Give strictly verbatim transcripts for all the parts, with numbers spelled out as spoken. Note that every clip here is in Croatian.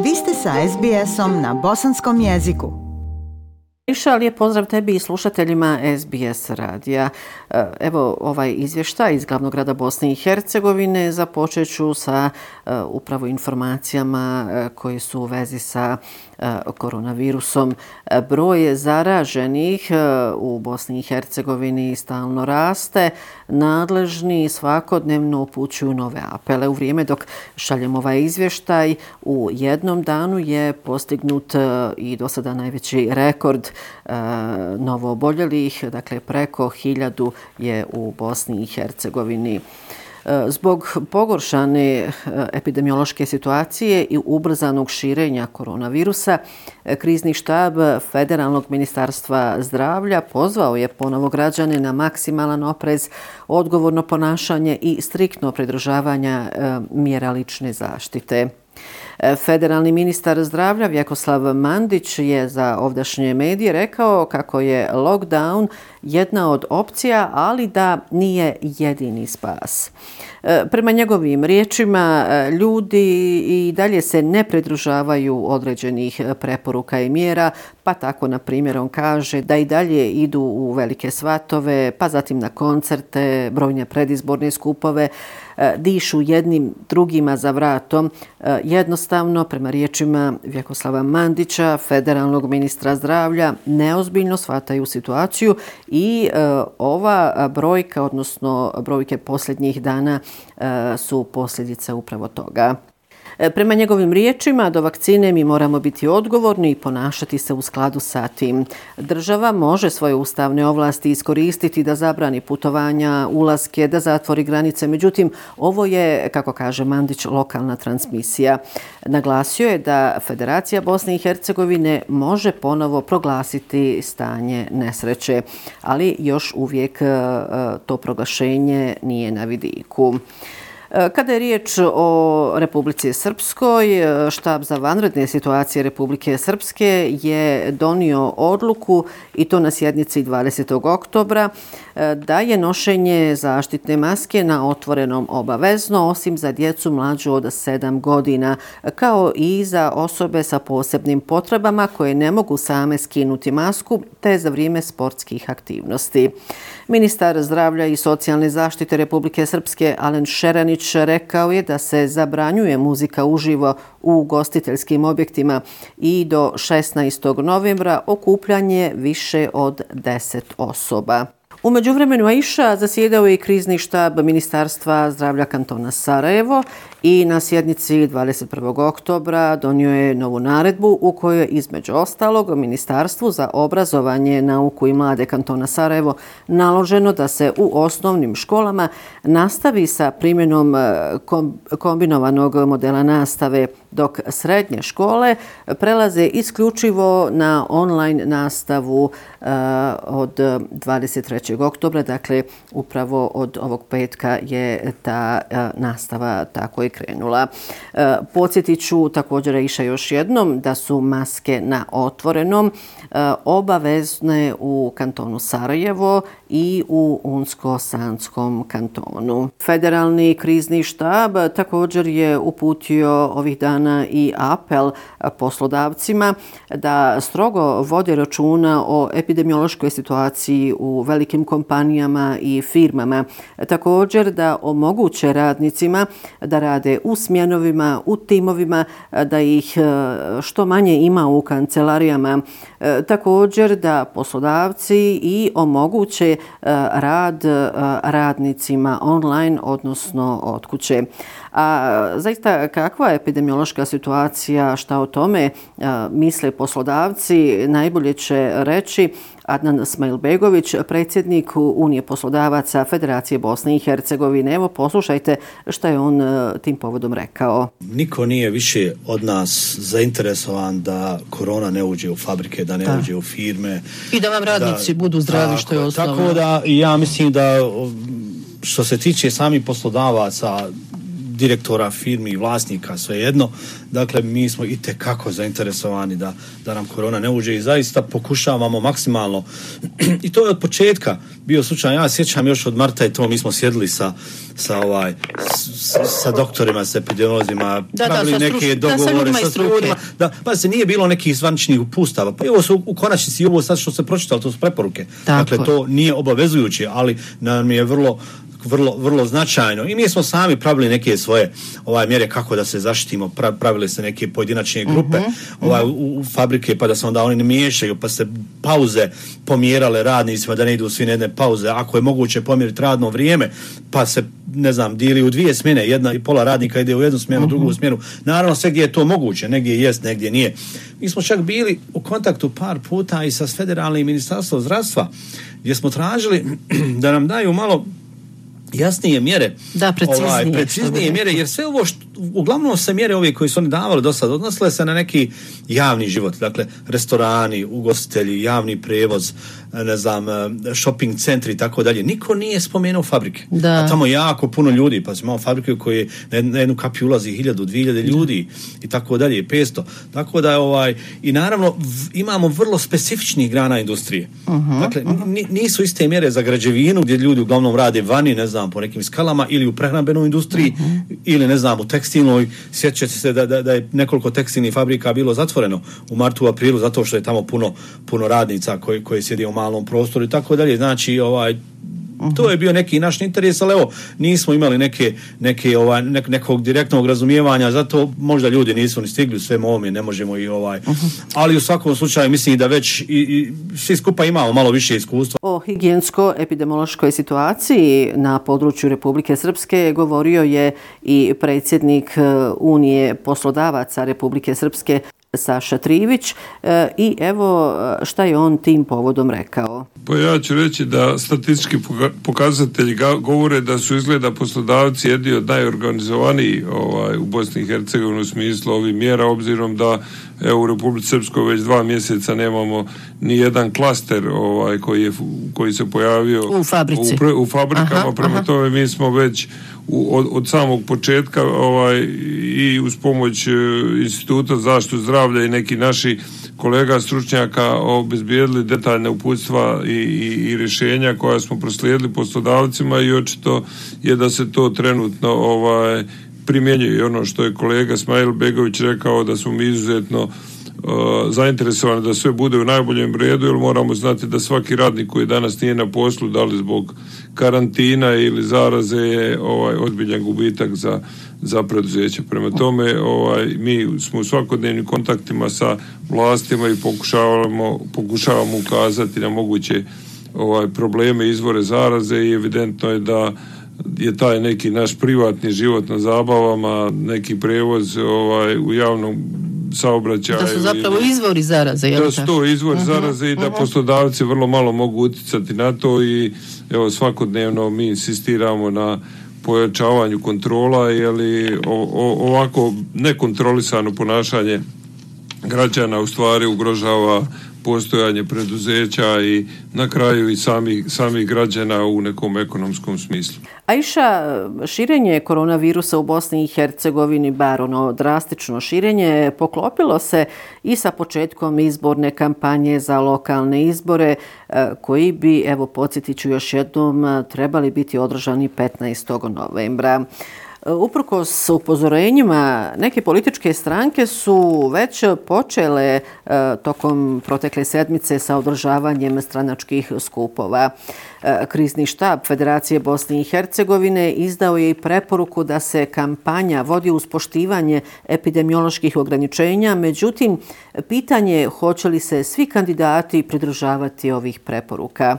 Vi ste sa es be esom na bosanskom jeziku. Iša, lijep pozdrav tebi i slušateljima es be es radija. Evo ovaj izvještaj iz glavnog grada Bosne i Hercegovine. Započet ću sa uh, upravo informacijama uh, koje su u vezi sa uh, koronavirusom. Broj zaraženih uh, u Bosni i Hercegovini stalno raste. Nadležni svakodnevno upućuju nove apele. U vrijeme dok šaljemo ovaj izvještaj, u jednom danu je postignut uh, i do sada najveći rekord uh, novo oboljelih, dakle preko hiljadu je u Bosni i Hercegovini. Zbog pogoršane epidemiološke situacije i ubrzanog širenja koronavirusa, krizni štab Federalnog ministarstva zdravlja pozvao je ponovo građane na maksimalan oprez, odgovorno ponašanje i striktno pridržavanje mjera lične zaštite. Federalni ministar zdravlja Vjekoslav Mandić je za ovdašnje medije rekao kako je lockdown jedna od opcija, ali da nije jedini spas. Prema njegovim riječima, ljudi i dalje se ne pridržavaju određenih preporuka i mjera, pa tako, na primjer, on kaže da i dalje idu u velike svatove, pa zatim na koncerte, brojne predizborne skupove, dišu jednim drugima za vratom. Jednostavno, prema riječima Vjekoslava Mandića, federalnog ministra zdravlja, neozbiljno shvataju situaciju i e, ova brojka, odnosno brojke posljednjih dana e, su posljedice upravo toga. Prema njegovim riječima, do vakcine mi moramo biti odgovorni i ponašati se u skladu sa tim. Država može svoje ustavne ovlasti iskoristiti da zabrani putovanja, ulaske, da zatvori granice. Međutim, ovo je, kako kaže Mandić, lokalna transmisija. Naglasio je da Federacija Bosne i Hercegovine može ponovo proglasiti stanje nesreće, ali još uvijek to proglašenje nije na vidiku. Kada je riječ o Republici Srpskoj, štab za vanredne situacije Republike Srpske je donio odluku, i to na sjednici dvadesetog oktobra, da je nošenje zaštitne maske na otvorenom obavezno, osim za djecu mlađu od sedam godina, kao i za osobe sa posebnim potrebama koje ne mogu same skinuti masku, te za vrijeme sportskih aktivnosti. Ministar zdravlja i socijalne zaštite Republike Srpske Alen Šeranić rekao je da se zabranjuje muzika uživo u ugostiteljskim objektima i do šesnaestog novembra okupljanje više od deset osoba. U međuvremenu, Aisha, zasjedao je i krizni štab Ministarstva zdravlja kantona Sarajevo i na sjednici dvadeset prvog oktobra donio je novu naredbu u kojoj je između ostalog Ministarstvu za obrazovanje, nauku i mlade kantona Sarajevo naloženo da se u osnovnim školama nastavi sa primjenom kombinovanog modela nastave, dok srednje škole prelaze isključivo na online nastavu uh, od dvadeset trećeg oktobra, dakle upravo od ovog petka je ta uh, nastava tako i krenula. Uh, podsjetit ću također iša još jednom da su maske na otvorenom uh, obavezne u kantonu Sarajevo i u Unsko-Sanskom kantonu. Federalni krizni štab također je uputio ovih dana i apel poslodavcima da strogo vode računa o epidemiološkoj situaciji u velikim kompanijama i firmama. Također da omoguće radnicima da rade u smjenovima, u timovima, da ih što manje ima u kancelarijama. Također da poslodavci i omoguće rad radnicima online, odnosno od kuće. A zaista kakva je epidemiološka situacija, šta o tome a, misle poslodavci, najbolje će reći Adnan Smajlbegović, predsjednik Unije poslodavaca Federacije Bosne i Hercegovine. Evo, poslušajte šta je on a, tim povodom rekao. Niko nije više od nas zainteresovan da korona ne uđe u fabrike, da ne da. uđe u firme. I da vam radnici da, budu zdravi, tako, što je osnovno. Tako da ja mislim da što se tiče samih poslodavaca, direktora firmi i vlasnika, svejedno. Dakle, mi smo itekako zainteresovani da, da nam korona ne uđe i zaista pokušavamo maksimalno. I to je od početka bio slučaj. Ja sjećam još od marta i to, mi smo sjedili sa, sa, ovaj, sa, sa doktorima, sa epidemiolozima, da, pravili da, neke struč, dogovore da, sa, sa ljudima. Da, pa se nije bilo nekih zvaničnih upustava. Pa evo su u konačnici i ovo sad što se pročitalo, to su preporuke. Tako. Dakle, to nije obavezujuće, ali nam je vrlo vrlo, vrlo značajno. I mi smo sami pravili neke svoje ovaj mjere kako da se zaštitimo. Pra, pravili se neke pojedinačne grupe uh-huh. ovaj, u, u fabrike, pa da se onda oni ne miješaju, pa se pauze pomjerale radnicima da ne idu svi na jedne pauze. Ako je moguće pomjeriti radno vrijeme, pa se, ne znam, dijeli u dvije smjene, jedna i pola radnika ide u jednu smjenu, uh-huh. drugu smjenu. Naravno, sve gdje je to moguće, negdje jest, negdje nije. Mi smo čak bili u kontaktu par puta i sa federalnim ministarstvom zdravstva, gdje smo tražili da nam daju malo jasnije mjere, da, preciznije, ovaj, preciznije mjere, jer sve ovo što, uglavnom se mjere ove koje su oni davali do sada odnosile se na neki javni život, dakle restorani, ugostitelji, javni prevoz, ne znam, shopping centri i tako dalje. Niko nije spomenuo fabrike. Da. A tamo jako puno ljudi, pa imamo fabrike u koje na jednu kapiju ulazi hiljadu, dvije hiljade ljudi i tako dalje, petsto. Tako da ovaj, i naravno v, imamo vrlo specifičnih grana industrije. Uh-huh, dakle, uh-huh. n, nisu iste mjere za građevinu gdje ljudi uglavnom rade vani, ne znam, po nekim skalama, ili u prehrambenoj industriji, uh-huh. ili ne znam, u tekstilnoj. Sjećate se da, da, da je nekoliko tekstilnih fabrika bilo zatvoreno u martu, aprilu, zato što je tamo puno, puno radnica koji, koji sjede u malom prostoru i tako dalje. Znači, ovaj, uh-huh. to je bio neki naš interes, ali evo, nismo imali neke, neke, ovaj, nek, nekog direktnog razumijevanja, zato možda ljudi nisu ni stigli u svemu ovome, ne možemo i ovaj. Uh-huh. Ali u svakom slučaju mislim da već i, i svi skupa imamo malo više iskustva. O higijensko-epidemiološkoj situaciji na području Republike Srpske govorio je i predsjednik Unije poslodavaca Republike Srpske Saša Trivić e, i evo šta je on tim povodom rekao. Pa ja ću reći da statistički pokazatelji govore da su izgleda poslodavci jedni od najorganizovaniji ovaj, u Bosni i Hercegovini u smislu ovih mjera, obzirom da evo, u Republici Srpskoj već dva mjeseca nemamo ni jedan klaster ovaj, koji, je, koji se pojavio u, fabrici. u, pre, u fabrikama, aha, prema aha. tome mi smo već u, od, od samog početka ovaj, i uz pomoć e, Instituta za zaštitu zdravlja i neki naši kolega stručnjaka obezbijedili detaljne uputstva i, i, i rješenja koja smo proslijedili poslodavcima i očito je da se to trenutno ovaj, primjenjuje. I ono što je kolega Smajl Begović rekao da smo mi izuzetno uh, zainteresovani da sve bude u najboljem redu, jer moramo znati da svaki radnik koji danas nije na poslu, da li zbog karantina ili zaraze, je ovaj, ozbiljan gubitak za, za preduzeće. Prema tome ovaj, mi smo u svakodnevnim kontaktima sa vlastima i pokušavamo, pokušavamo ukazati na moguće ovaj, probleme, izvore zaraze i evidentno je da je taj neki naš privatni život na zabavama, neki prevoz ovaj, u javnom saobraćaju. Da su zapravo ili, izvori zaraze. Da su to izvori uh-huh, zaraze i da uh-huh. poslodavci vrlo malo mogu utjecati na to i evo svakodnevno mi insistiramo na pojačavanju kontrola, jer ovako nekontrolisano ponašanje građana u stvari ugrožava postojanje preduzeća i na kraju i samih, samih građana u nekom ekonomskom smislu. Aisha, širenje koronavirusa u Bosni i Hercegovini, bar ono drastično širenje, poklopilo se i sa početkom izborne kampanje za lokalne izbore, koji bi, evo podsjetit ću još jednom, trebali biti održani petnaestog novembra. Uprkos upozorenjima, neke političke stranke su već počele e, tokom protekle sedmice sa održavanjem stranačkih skupova. E, krizni štab Federacije Bosne i Hercegovine izdao je i preporuku da se kampanja vodi uz poštivanje epidemioloških ograničenja, međutim, pitanje je hoće li se svi kandidati pridržavati ovih preporuka.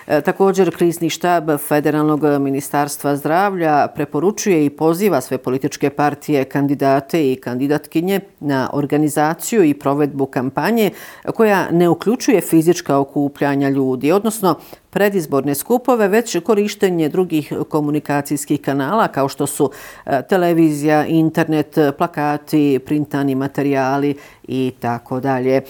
E, također, krizni štab Federalnog ministarstva zdravlja preporučuje i poziva sve političke partije, kandidate i kandidatkinje na organizaciju i provedbu kampanje koja ne uključuje fizička okupljanja ljudi, odnosno predizborne skupove, već korištenje drugih komunikacijskih kanala kao što su televizija, internet, plakati, printani materijali i tako dalje.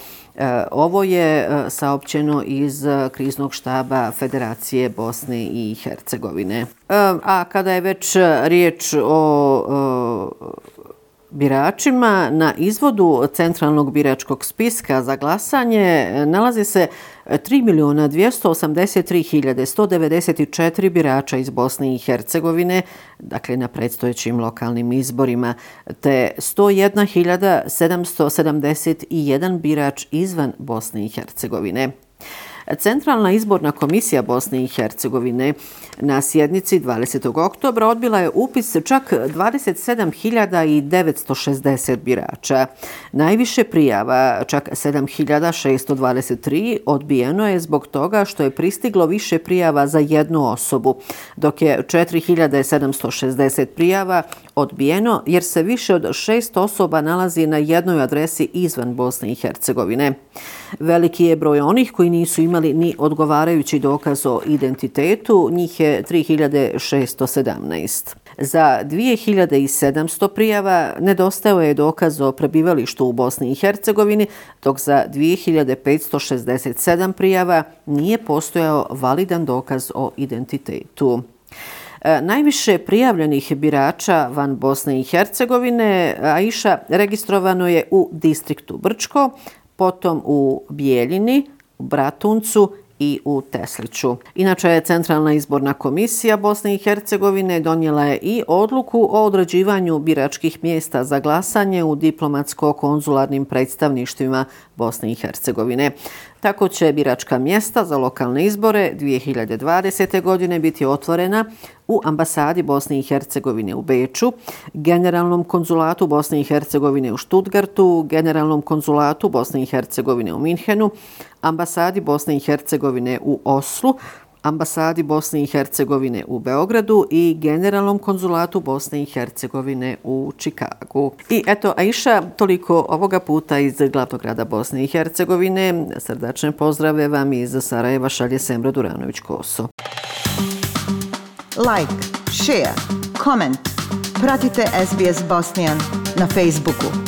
Ovo je saopćeno iz kriznog štaba Federacije Bosne i Hercegovine. A kada je već riječ o biračima, na izvodu Centralnog biračkog spiska za glasanje nalazi se tri milijuna dvjesto osamdeset tri hiljade sto devedeset četiri birača iz Bosne i Hercegovine, dakle na predstojećim lokalnim izborima, te sto jedna hiljada sedamsto sedamdeset jedan birač izvan Bosne i Hercegovine. Centralna izborna komisija Bosne i Hercegovine na sjednici dvadesetog oktobra odbila je upis čak dvadeset sedam hiljada devetsto šezdeset birača. Najviše prijava, čak sedam hiljada šesto dvadeset tri, odbijeno je zbog toga što je pristiglo više prijava za jednu osobu, dok je četiri hiljade sedamsto šezdeset prijava odbijeno jer se više od šest osoba nalazi na jednoj adresi izvan Bosne i Hercegovine. Veliki je broj onih koji nisu imali ni odgovarajući dokaz o identitetu, njih je tri hiljade šesto sedamnaest. Za dvije hiljade sedamsto prijava nedostajao je dokaz o prebivalištu u Bosni i Hercegovini, dok za dvije hiljade petsto šezdeset sedam prijava nije postojao validan dokaz o identitetu. Najviše prijavljenih birača van Bosne i Hercegovine, Aisha, registrovano je u distriktu Brčko, potom u Bijeljini, u Bratuncu i u Tesliću. Inače je Centralna izborna komisija Bosne i Hercegovine donijela je i odluku o određivanju biračkih mjesta za glasanje u diplomatsko-konzularnim predstavništvima Bosne i Hercegovine. Tako će biračka mjesta za lokalne izbore dvije hiljade dvadesete. godine biti otvorena u ambasadi Bosne i Hercegovine u Beču, Generalnom konzulatu Bosne i Hercegovine u Stuttgartu, Generalnom konzulatu Bosne i Hercegovine u Minhenu, ambasadi Bosne i Hercegovine u Oslu, ambasadi Bosne i Hercegovine u Beogradu i Generalnom konzulatu Bosne i Hercegovine u Čikagu. I eto, Aisha, toliko ovoga puta iz glavnog grada Bosne i Hercegovine. Srdačne pozdrave vam iz Sarajeva šalje Semra Duranović-Koso. Like, share, comment. Pratite S B S Bosnian na Facebooku.